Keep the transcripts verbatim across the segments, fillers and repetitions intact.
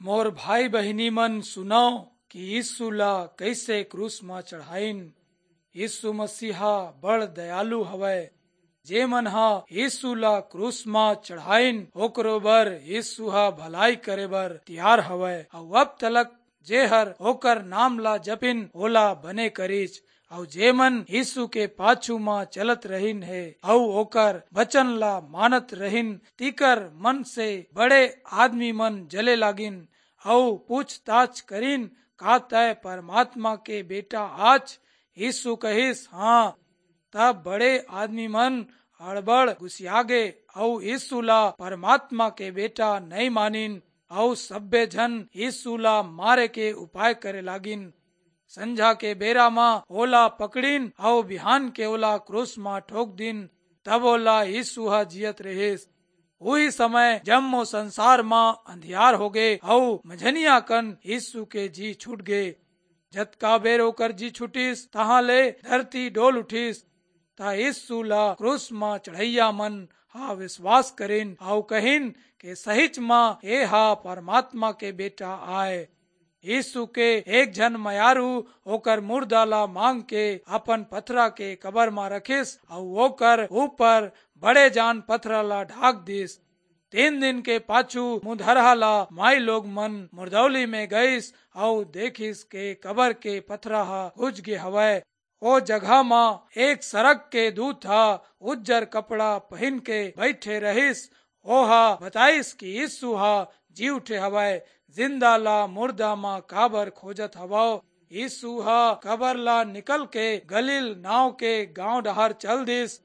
मोर भाई बहिनी मन, सुनव कि यीशु ला कइसे क्रूस म चढ़ाइन। यीशु मसीहा बड़ दयालु हवय। जे मन ह यीशु ला क्रूस म चढ़ाइन, ओकरो बर यीशु ह भलाई करे बर तियार हवय। अउ अब तलक जे हर ओकर नाम ला जपिन, ओला बने करिच। अउ जे मन यीशु के पाछू म चलत रहिन हे, अउ ओकर वचन ला मानत रहिन, तिकर मन से बड़े आदमी मन जले लागिन, अउ पूछताछ करिन, "का तय परमात्मा के बेटा आच?" यीशु कहिस, "हाँ।" तब बड़े आदमी मन अड़बड़ गुसियागे, अउ यीशु ला परमात्मा के बेटा नइ मानिन, अउ सब्बे झन यीशु ला मारे के उपाय करे लागिन। संझा के बेरा म ओला पकड़िन, अउ बिहान के ओला क्रूस म ठोक दिन। तब ओला यीशु ह जियत रहिस। उही समय जम्मो संसार म अंधियार होगे, अउ मझनिया कन यीशु के जी छूट गे। जतका बेर ओकर जी छूटिस, तहाँ ले धरती डोल उठिस। त यीशु ला क्रूस म चढ़इया मन हा विश्वास करिन, अउ कहिन के सहिच म ए हा परमात्मा के बेटा आय। यीशु के एक झन मयारू ओकर मुर्दा ला मांग के अपन पथरा के कबर म रखिस, अउ ओकर ऊपर बड़े जान पथरा ला ढाक दिस। तीन दिन के पाछू मुधरहा ला माई लोग मन मुरदौली में गइस, अउ देखिस के कबर के पथरा ह घुच गे हवय। ओ जगह म एक सरग के दूत ह उज्जर कपड़ा पहिन के बइठे रहिस। ओह बताइस कि यीशु ह जी उठे हवय, जिंदा ला मुर्दा म काबर खोजत हवव? यीशु ह कबर ला निकल के गलील नाव के गांव डहार चल दिस।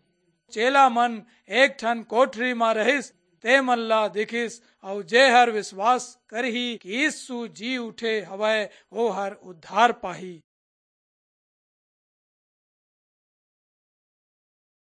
चेला मन एक ठन कोठरी म रहिस, ते मन ला दिखिस, अउ जे हर विश्वास करही कि यीशु जी उठे हवय, ओ हर उद्धार पाही।